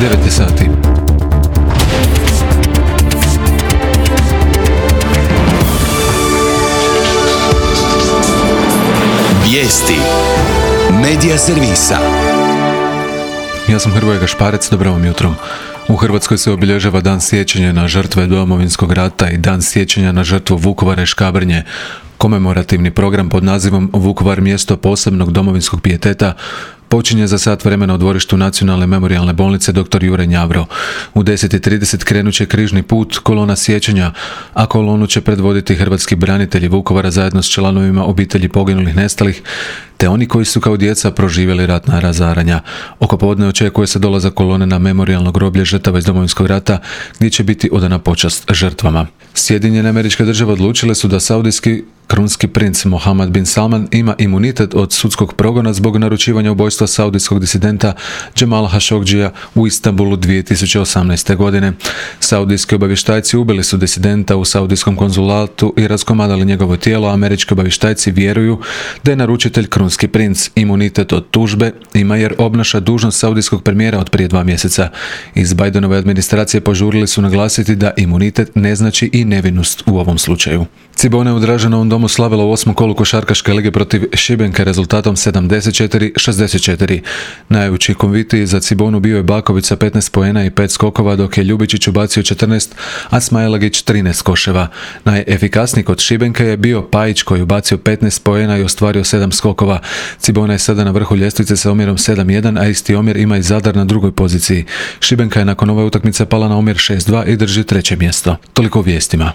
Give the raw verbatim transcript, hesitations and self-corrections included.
devet je sati. Vijesti Medija servisa. Ja sam Hrvoje Gašparec, dobro vam jutro. U Hrvatskoj se obilježava Dan sjećanja na žrtve Domovinskog rata i Dan sjećanja na žrtvu Vukovara i Škabrnje. Komemorativni program pod nazivom Vukovar mjesto posebnog domovinskog pijeteta počinje za sat vremena u dvorištu Nacionalne memorijalne bolnice dr. Jure Njavro. U deset i trideset krenut će križni put, kolona sjećanja, a kolonu će predvoditi hrvatski branitelji Vukovara zajedno s članovima obitelji poginulih nestalih, te oni koji su kao djeca proživjeli ratna razaranja. Oko podne očekuje se dolazak kolone na memorijalno groblje žrtava iz Domovinskog rata, gdje će biti odana počast žrtvama. Sjedinjene Američke Države odlučile su da saudijski krunski princ Mohammed bin Salman ima imunitet od sudskog progona zbog naručivanja ubojstva saudijskog disidenta Džemala Hašogdžija u Istanbulu dvije tisuće osamnaeste. godine. Saudijski obavještajci ubili su disidenta u saudijskom konzulatu i raskomadali njegovo tijelo. Američki obavještajci vjeruju da je naručitelj krunski princ. Imunitet od tužbe ima jer obnaša dužnost saudijskog premijera od prije dva mjeseca. Iz Bidenove administracije požurili su naglasiti da imunitet ne znači i nevinost u ovom slučaju. Cibona je u Draženovom domu slavila u osmom kolu košarkaške lige protiv Šibenke rezultatom sedamdeset četiri šezdeset četiri. Najučinkovitiji za Cibonu bio je Baković sa petnaest poena i pet skokova, dok je Ljubičić ubacio četrnaest, a Smajlagić trinaest koševa. Najefikasniji kod Šibenke je bio Pajić koji je ubacio petnaest poena i ostvario sedam skokova. Cibona je sada na vrhu ljestvice sa omjerom sedam jedan, a isti omjer ima i Zadar na drugoj poziciji. Šibenka je nakon ove utakmice pala na omjer šest dva i drži treće mjesto. Toliko o vijestima.